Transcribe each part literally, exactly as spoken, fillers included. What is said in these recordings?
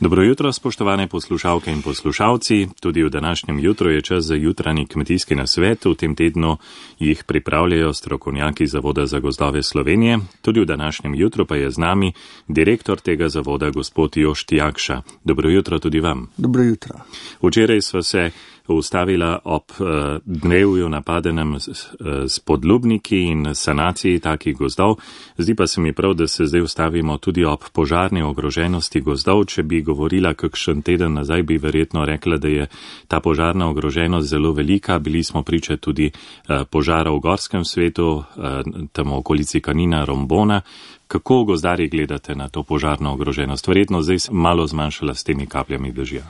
Dobro jutro, spoštovane poslušalke in poslušalci. Tudi v današnjem jutru je čas za jutranji kmetijski nasvet. V tem tednu jih pripravljajo strokovnjaki Zavoda za gozdove Slovenije. Tudi v današnjem jutru pa je z nami direktor tega zavoda, gospod Jošt Jakša. Dobro jutro tudi vam. Dobro jutro. Včeraj sva se ustavila ob uh, dnevju napadenem s, uh, s podlubniki in sanaciji takih gozdov. Zdi pa se mi prav, da se zdaj ustavimo tudi ob požarni ogroženosti gozdov. Če bi govorila kakšen teden nazaj, bi verjetno rekla, da je ta požarna ogroženost zelo velika. Bili smo priče tudi uh, požara v gorskem svetu, uh, tam v okolici Kanina, Rombona. Kako gozdarji gledate na to požarno ogroženost? Verjetno zdaj malo zmanjšala s temi kapljami dežja.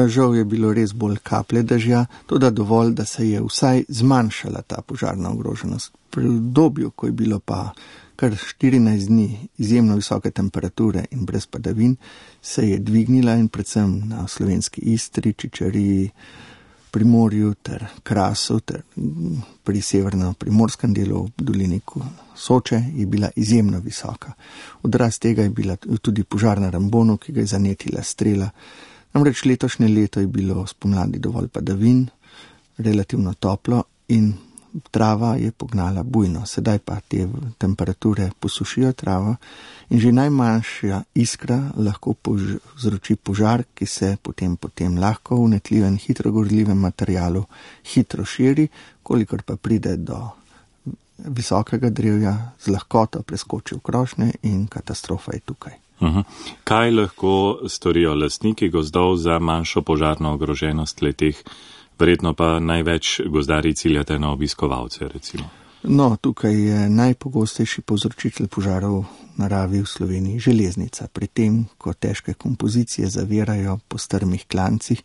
Žal je bilo res bolj kaplje dežja, tudi dovolj, da se je vsaj zmanjšala ta požarna ogroženost. Pri obdobju, ko je bilo pa kar štirinajst dni izjemno visoke temperature in brez padavin, se je dvignila in predvsem na slovenski Istri, Čičariji, Primorju ter Krasu ter pri severno-primorskem delu v dolini Soče je bila izjemno visoka. Odraz tega je bila tudi požar na Rambonu, ki ga je zanetila strela. Namreč letošnje leto je bilo spomladi dovolj padavin, relativno toplo in trava je pognala bujno. Sedaj pa te temperature posušijo travo in že najmanjša iskra lahko povzroči požar, ki se potem, potem lahko v vnetljivem, hitro gorljivem materialu hitro širi, kolikor pa pride do visokega drevja, z lahkoto preskoči v krošnje in katastrofa je tukaj. Uhum. Kaj lahko storijo lastniki gozdov za manjšo požarno ogroženost letih? Verjetno pa največ gozdarji ciljate na obiskovalce, recimo. No, tukaj je najpogostejši povzročitelj požarov v naravi v Sloveniji železnica. Pri tem, ko težke kompozicije zavirajo po strmih klancih,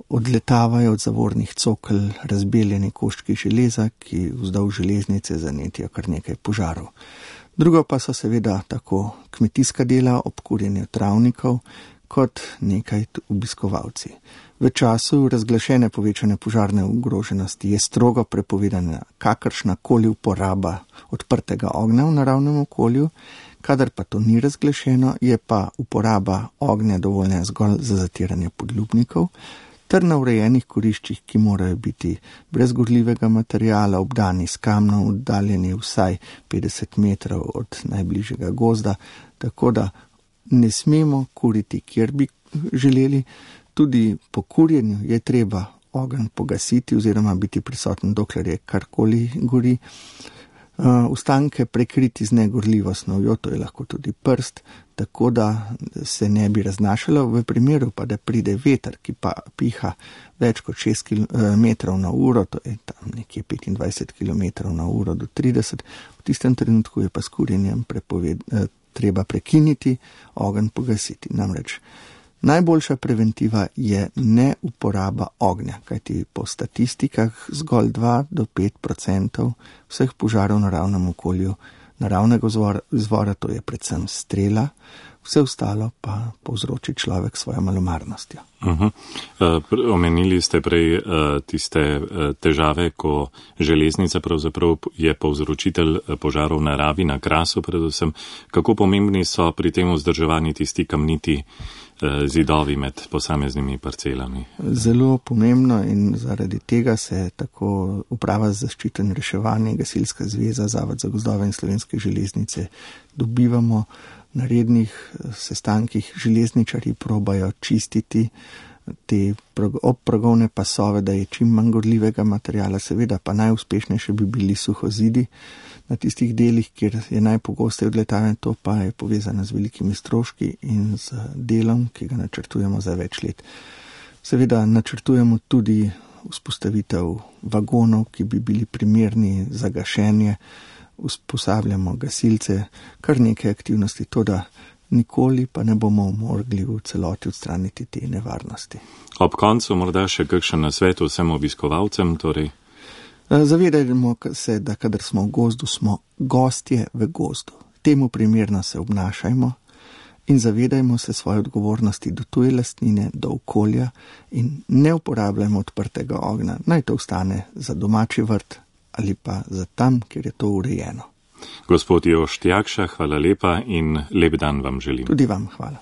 odletavajo od zavornih cokel razbeljeni koščki železa, ki vzdolž železnice zanetijo kar nekaj požarov. Drugo pa so seveda tako kmetijska dela ob kurjenju travnikov, kot nekaj obiskovalci. V času razglašene povečane požarne ogroženosti je strogo prepovedana kakršnakoli uporaba odprtega ognja v naravnem okolju, kadar pa to ni razglašeno, je pa uporaba ognja dovoljena zgolj za zatiranje podlubnikov, ter na urejenih kuriščih, ki morajo biti brez gorljivega materiala, obdani s kamnom, oddaljeni vsaj petdeset metrov od najbližjega gozda, tako da ne smemo kuriti, kjer bi želeli. Tudi po kurjenju je treba ogenj pogasiti oziroma biti prisoten, dokler je karkoli gori. Ostanke prekriti z negorljivo snovjo, to je lahko tudi prst, tako da se ne bi raznašalo. V primeru pa, da pride veter, ki pa piha več kot šest kilometrov na uro, to je tam nekje petindvajset kilometrov na uro do trideset, v tistem trenutku je pa s kurjenjem prepoved, treba prekiniti, ogenj pogasiti. Namreč najboljša preventiva je ne uporaba ognja, kajti po statistikah zgolj dva do pet procentov vseh požarov v naravnem okolju naravnega izvora, to je predvsem strela, vse ostalo pa povzroči človek svojo malomarnostjo. Uh-huh. Uh, omenili ste prej uh, tiste uh, težave, ko železnica pravzaprav je povzročitelj požarov v naravi, na Krasu predvsem. Kako pomembni so pri tem vzdrževani tisti kamniti uh, zidovi med posameznimi parcelami? Zelo pomembno in zaradi tega se tako Uprava za zaščito in reševanje, Gasilska zveza, Zavod za gozdove in Slovenske železnice dobivamo. Na rednih sestankih železničarji probajo čistiti te obprogovne pasove, da je čim manj gorljivega materiala, seveda pa najuspešnejše bi bili suhozidi na tistih delih, kjer je najpogosteje odletavanje, to pa je povezano z velikimi stroški in z delom, ki ga načrtujemo za več let. Seveda načrtujemo tudi vzpostavitev vagonov, ki bi bili primerni za gašenje, usposabljamo gasilce, kar nekaj aktivnosti, to da nikoli pa ne bomo mogli v celoti odstraniti te nevarnosti. Ob koncu morda še kakšen nasvet vsem obiskovalcem, torej? Zavedajmo se, da kadar smo v gozdu, smo gostje v gozdu. Temu primerno se obnašajmo in zavedajmo se svoje odgovornosti do tuje lastnine, do okolja in ne uporabljajmo odprtega ognja. Naj to ostane za domači vrt ali pa za tam, kjer je to urejeno. Gospod Jošt Jakša, hvala lepa in lep dan vam želim. Tudi vam hvala.